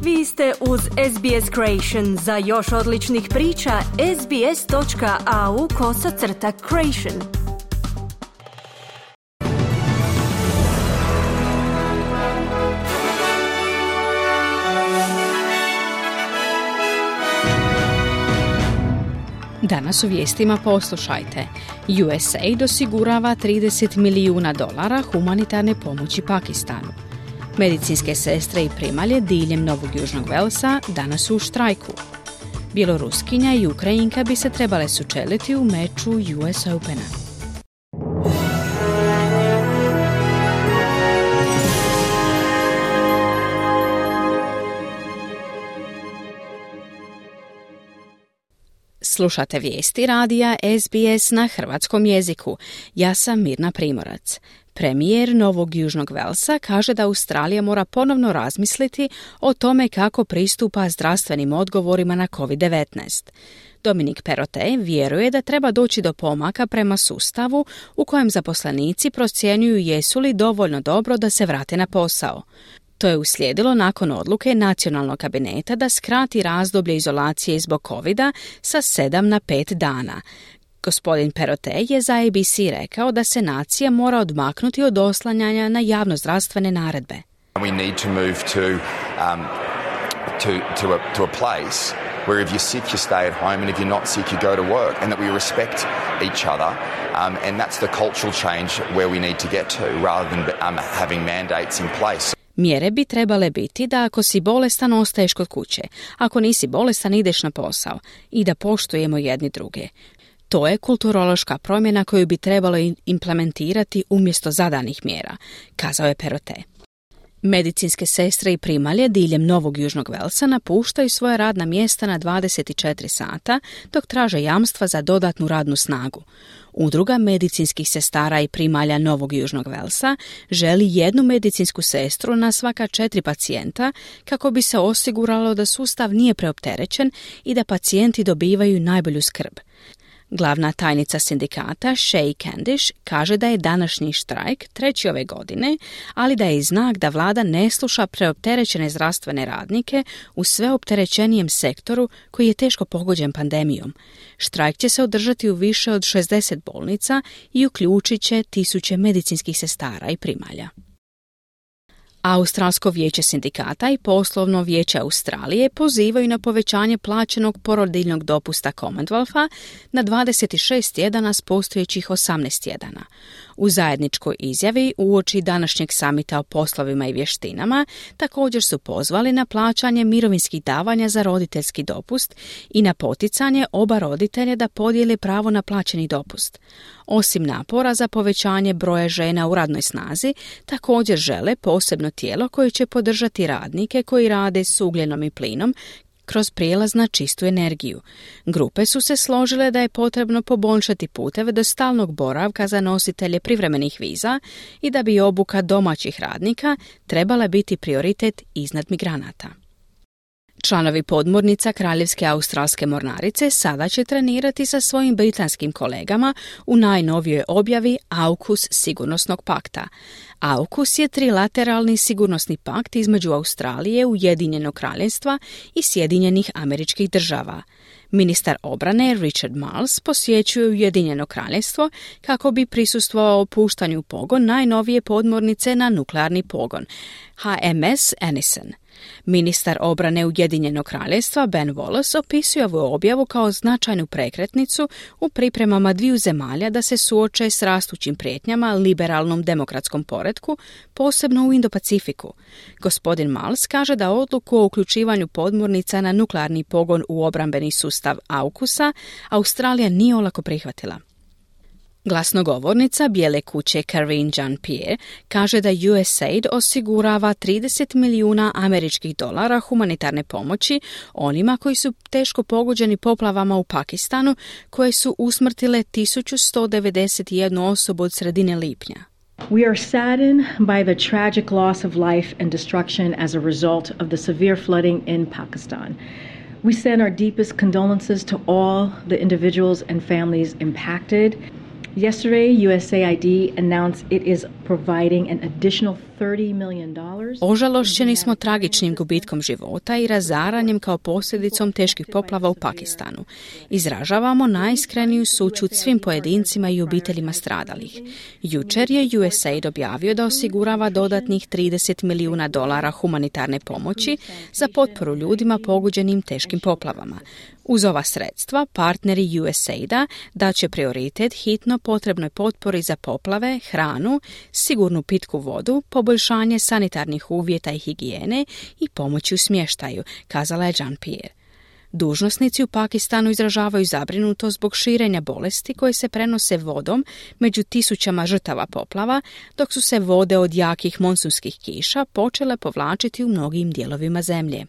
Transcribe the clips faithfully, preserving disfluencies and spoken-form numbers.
Vi ste uz S B S Creation. Za još odličnih priča, sbs.au kosacrta creation. Danas u vijestima poslušajte. U S A I D osigurava trideset milijuna dolara humanitarne pomoći Pakistanu. Medicinske sestre i primalje diljem Novog Južnog Velsa danas su u štrajku. Bjeloruskinja i Ukrajinka bi se trebale sučeliti u meču U S Opena. Slušate vijesti radija S B S na hrvatskom jeziku. Ja sam Mirna Primorac. Premijer Novog Južnog Velsa kaže da Australija mora ponovno razmisliti o tome kako pristupa zdravstvenim odgovorima na covid devetnaest. Dominic Perrottet vjeruje da treba doći do pomaka prema sustavu u kojem zaposlenici procjenjuju jesu li dovoljno dobro da se vrate na posao. To je uslijedilo nakon odluke nacionalnog kabineta da skrati razdoblje izolacije zbog covida sa sedam na pet dana. Gospodin Perrottet je za A B C rekao da se nacija mora odmaknuti od oslanjanja na javnozdravstvene naredbe. We need to move to um, to to a, to a place where if you're sick you stay at home and if you're not sick you go to work and that we respect each other um, and that's the cultural change where we need to get to rather than um, having mandates in place. Mjere bi trebale biti da ako si bolestan ostaješ kod kuće, ako nisi bolestan ideš na posao i da poštujemo jedni druge. To je kulturološka promjena koju bi trebalo implementirati umjesto zadanih mjera, kazao je Perrottet. Medicinske sestre i primalje diljem Novog Južnog Velsa napuštaju svoja radna mjesta na dvadeset četiri sata dok traže jamstva za dodatnu radnu snagu. Udruga medicinskih sestara i primalja Novog Južnog Velsa želi jednu medicinsku sestru na svaka četiri pacijenta kako bi se osiguralo da sustav nije preopterećen i da pacijenti dobivaju najbolju skrb. Glavna tajnica sindikata Shay Candish kaže da je današnji štrajk treći ove godine, ali da je i znak da vlada ne sluša preopterećene zdravstvene radnike u sve opterećenijem sektoru koji je teško pogođen pandemijom. Štrajk će se održati u više od šezdeset bolnica i uključit će tisuće medicinskih sestara i primalja. Australsko vijeće sindikata i poslovno vijeće Australije pozivaju na povećanje plaćenog porodiljnog dopusta Commonwealtha na dvadeset šest tjedana s postojećih osamnaest tjedana. U zajedničkoj izjavi uoči današnjeg samita o poslovima i vještinama također su pozvali na plaćanje mirovinskih davanja za roditeljski dopust i na poticanje oba roditelja da podijele pravo na plaćeni dopust. Osim napora za povećanje broja žena u radnoj snazi, također žele posebno tijelo koje će podržati radnike koji rade s ugljenom i plinom kroz prijelaz na čistu energiju. Grupe su se složile da je potrebno poboljšati puteve do stalnog boravka za nositelje privremenih viza i da bi obuka domaćih radnika trebala biti prioritet iznad migranata. Članovi podmornica Kraljevske australske mornarice sada će trenirati sa svojim britanskim kolegama u najnovijoj objavi AUKUS sigurnosnog pakta. AUKUS je trilateralni sigurnosni pakt između Australije, Ujedinjenog kraljevstva i Sjedinjenih Američkih Država. Ministar obrane Richard Marles posjećuje Ujedinjeno kraljevstvo kako bi prisustvovao puštanju u pogon najnovije podmornice na nuklearni pogon, H M S Anison. Ministar obrane Ujedinjenog kraljevstva Ben Wallace opisuje ovu objavu kao značajnu prekretnicu u pripremama dviju zemalja da se suoče s rastućim prijetnjama liberalnom demokratskom poretku, posebno u Indo-Pacifiku. Gospodin Miles kaže da odluku o uključivanju podmornica na nuklearni pogon u obrambeni sustav AUKUS-a Australija nije olako prihvatila. Glasnogovornica Bijele kuće Karine Jean-Pierre kaže da U S A I D osigurava trideset milijuna američkih dolara humanitarne pomoći onima koji su teško pogođeni poplavama u Pakistanu koje su usmrtile tisuću sto devedeset jednu osobu od sredine lipnja. We are saddened by the tragic loss of life and destruction as a result of the severe flooding in Pakistan. We send our deepest condolences to all the individuals and families impacted. Yesterday, U S A I D announced it is providing an additional thirty million dollars. Ožalošćeni smo tragičnim gubitkom života i razaranjem kao posljedicom teških poplava u Pakistanu. Izražavamo najiskreniju sućut svim pojedincima i obiteljima stradalih. Jučer je U S A I D objavio da osigurava dodatnih trideset milijuna dolara humanitarne pomoći za potporu ljudima pogođenim teškim poplavama. Uz ova sredstva, partneri U S A I D-a daće prioritet hitno potrebnoj potpori za poplave, hranu, sigurnu pitku vodu, poboljšanje sanitarnih uvjeta i higijene i pomoći u smještaju, kazala je Jean-Pierre. Dužnosnici u Pakistanu izražavaju zabrinutost zbog širenja bolesti koje se prenose vodom među tisućama žrtava poplava, dok su se vode od jakih monsunskih kiša počele povlačiti u mnogim dijelovima zemlje.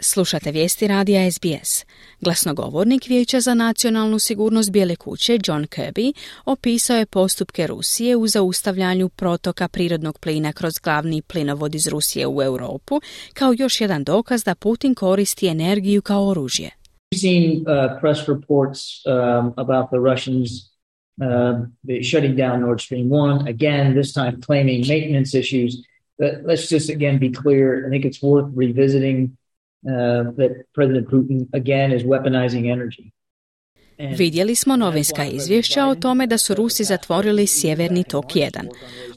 Slušate vijesti radija S B S. Glasnogovornik Vijeća za nacionalnu sigurnost Bijele kuće John Kirby opisao je postupke Rusije u zaustavljanju protoka prirodnog plina kroz glavni plinovod iz Rusije u Europu kao još jedan dokaz da Putin koristi energiju kao oružje. We've seen uh, press reports um, about the Russians uh, shutting down Nord Stream one, again, this time claiming maintenance issues. But let's just again be clear, I think it's worth revisiting Uh, that President Putin again is weaponizing energy. Vidjeli smo novinska izvješća o tome da su Rusi zatvorili Sjeverni tok jedan.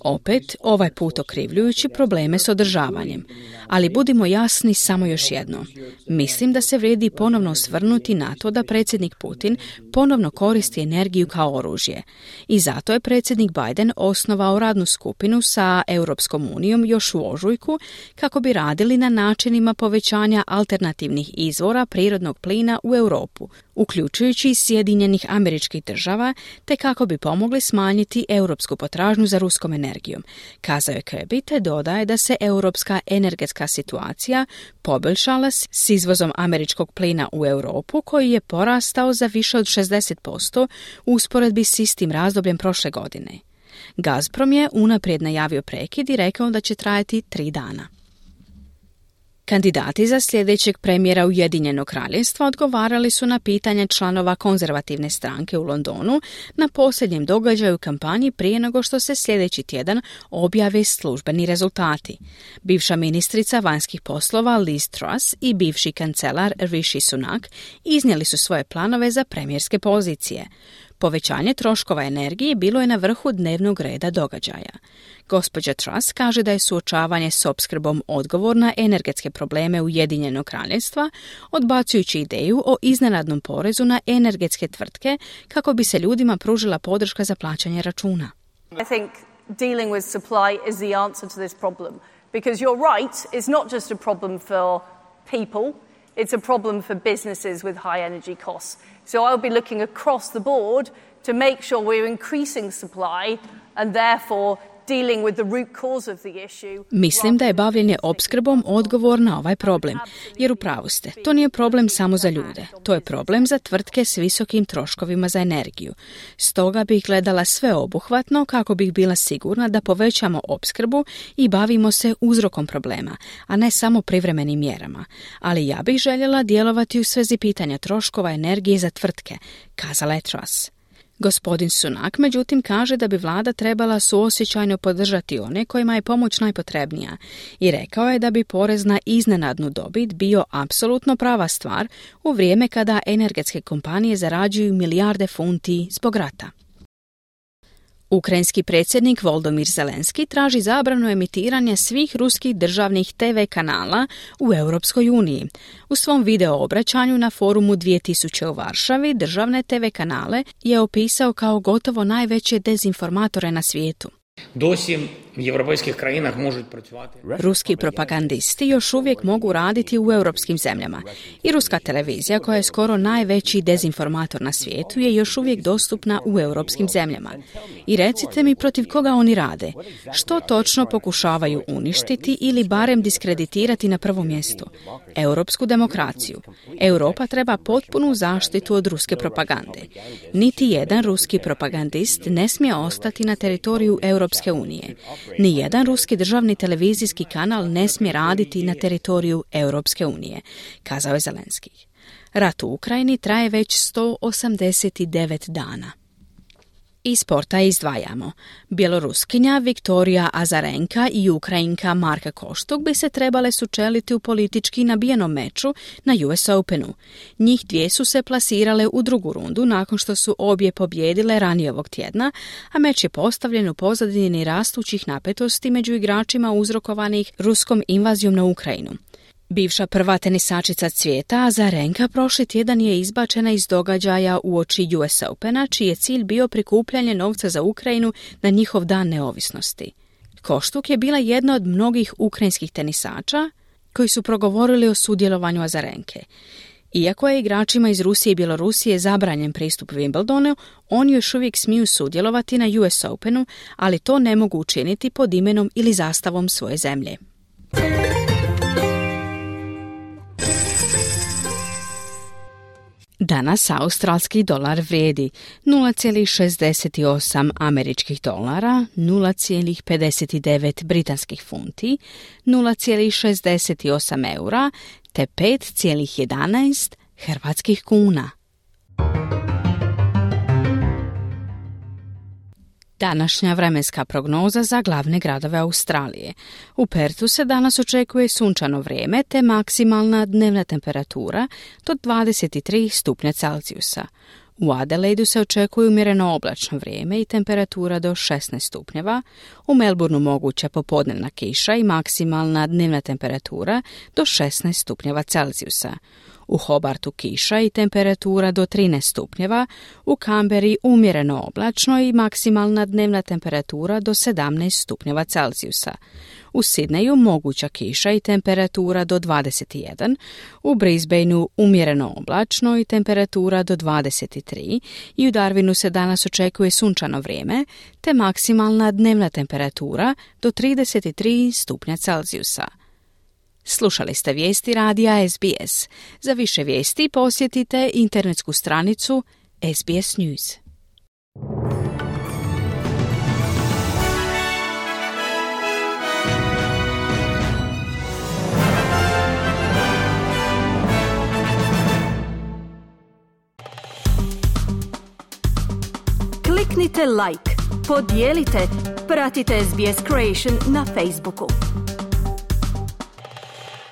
Opet, ovaj put okrivljujući probleme s održavanjem. Ali budimo jasni samo još jedno. Mislim da se vrijedi ponovno osvrnuti na to da predsjednik Putin ponovno koristi energiju kao oružje. I zato je predsjednik Biden osnovao radnu skupinu sa Europskom unijom još u ožujku kako bi radili na načinima povećanja alternativnih izvora prirodnog plina u Europu, uključujući i Sjedinjenih Američkih Država, te kako bi pomogli smanjiti europsku potražnju za ruskom energijom. Kazao je Kirby, te dodaje da se europska energetska situacija poboljšala s izvozom američkog plina u Europu, koji je porastao za više od šezdeset posto u usporedbi s istim razdobljem prošle godine. Gazprom je unaprijed najavio prekid i rekao da će trajati tri dana. Kandidati za sljedećeg premijera Ujedinjenog kraljevstva odgovarali su na pitanje članova konzervativne stranke u Londonu na posljednjem događaju u kampanji prije nego što se sljedeći tjedan objave službeni rezultati. Bivša ministrica vanjskih poslova Liz Truss i bivši kancelar Rishi Sunak iznijeli su svoje planove za premijerske pozicije. Povećanje troškova energije bilo je na vrhu dnevnog reda događaja. Gospođa Truss kaže da je suočavanje s opskrbom odgovor na energetske probleme Ujedinjenog kraljevstva, odbacujući ideju o iznenadnom porezu na energetske tvrtke kako bi se ljudima pružila podrška za plaćanje računa. I think dealing with supply is the answer to this problem. Because you're right, it's not just a problem for people, it's a problem for businesses with high energy costs. So I'll be looking across the board to make sure we're increasing supply and therefore dealing with the root cause of the issue. Mislim da je bavljenje opskrbom odgovor na ovaj problem, jer u pravu ste, to nije problem samo za ljude, to je problem za tvrtke s visokim troškovima za energiju. Stoga bih gledala sveobuhvatno kako bih bila sigurna da povećamo opskrbu i bavimo se uzrokom problema, a ne samo privremenim mjerama. Ali ja bih željela djelovati u svezi pitanja troškova energije za tvrtke, kazala je Truss. Gospodin Sunak, međutim, kaže da bi vlada trebala suosjećajno podržati one kojima je pomoć najpotrebnija i rekao je da bi porez na iznenadnu dobit bio apsolutno prava stvar u vrijeme kada energetske kompanije zarađuju milijarde funti zbog rata. Ukrajinski predsjednik Volodymyr Zelenski traži zabranu emitiranja svih ruskih državnih te ve kanala u Europskoj uniji. U svom video obraćanju na forumu dvije tisuće u Varšavi državne te ve kanale je opisao kao gotovo najveće dezinformatore na svijetu. Досі в європейських країнах можуть працювати. Ruski propagandisti još uvijek mogu raditi u europskim zemljama. I ruska televizija, koja je skoro najveći dezinformator na svijetu, je još uvijek dostupna u europskim zemljama. I recite mi protiv koga oni rade. Što točno pokušavaju uništiti ili barem diskreditirati na prvom mjestu? Europsku demokraciju. Europa treba potpunu zaštitu od ruske propagande. Niti jedan ruski propagandist ne smije ostati na teritoriju Europske unije. Ni jedan ruski državni televizijski kanal ne smije raditi na teritoriju Europske unije, kazao je Zelenski. Rat u Ukrajini traje već sto osamdeset devet dana. Iz sporta izdvajamo. Bjeloruskinja Viktorija Azarenka i Ukrajinka Marka Koštuk bi se trebale sučeliti u politički nabijenom meču na U S Openu. Njih dvije su se plasirale u drugu rundu nakon što su obje pobjedile ranije ovog tjedna, a meč je postavljen u pozadini rastućih napetosti među igračima uzrokovanih ruskom invazijom na Ukrajinu. Bivša prva tenisačica svijeta Azarenka prošli tjedan je izbačena iz događaja uoči U S Opena, čiji je cilj bio prikupljanje novca za Ukrajinu na njihov dan neovisnosti. Koštuk je bila jedna od mnogih ukrajinskih tenisača koji su progovorili o sudjelovanju Azarenke. Iako je igračima iz Rusije i Bjelorusije zabranjen pristup Wimbledonu, oni još uvijek smiju sudjelovati na U S Openu, ali to ne mogu učiniti pod imenom ili zastavom svoje zemlje. Danas australski dolar vrijedi nula zarez šezdeset osam američkih dolara, nula zarez pedeset devet britanskih funti, nula zarez šezdeset osam eura te pet zarez jedanaest hrvatskih kuna. Današnja vremenska prognoza za glavne gradove Australije. U Perthu se danas očekuje sunčano vrijeme te maksimalna dnevna temperatura do dvadeset tri stupnja Celzijusa. U Adelaidu se očekuje umjereno oblačno vrijeme i temperatura do šesnaest stupnjeva, u Melbourneu moguća popodnevna kiša i maksimalna dnevna temperatura do šesnaest stupnjeva Celzijusa. U Hobartu kiša i temperatura do trinaest stupnjeva, u Canberri umjereno oblačno i maksimalna dnevna temperatura do sedamnaest stupnjeva Celzijusa. U Sidneju moguća kiša i temperatura do dvadeset jedan, u Brisbaneu umjereno oblačno i temperatura do dvadeset tri i u Darwinu se danas očekuje sunčano vrijeme te maksimalna dnevna temperatura do trideset tri stupnja Celzijusa. Slušali ste vijesti radija S B S. Za više vijesti posjetite internetsku stranicu S B S News. Kliknite like, podijelite, pratite S B S Creation na Facebooku.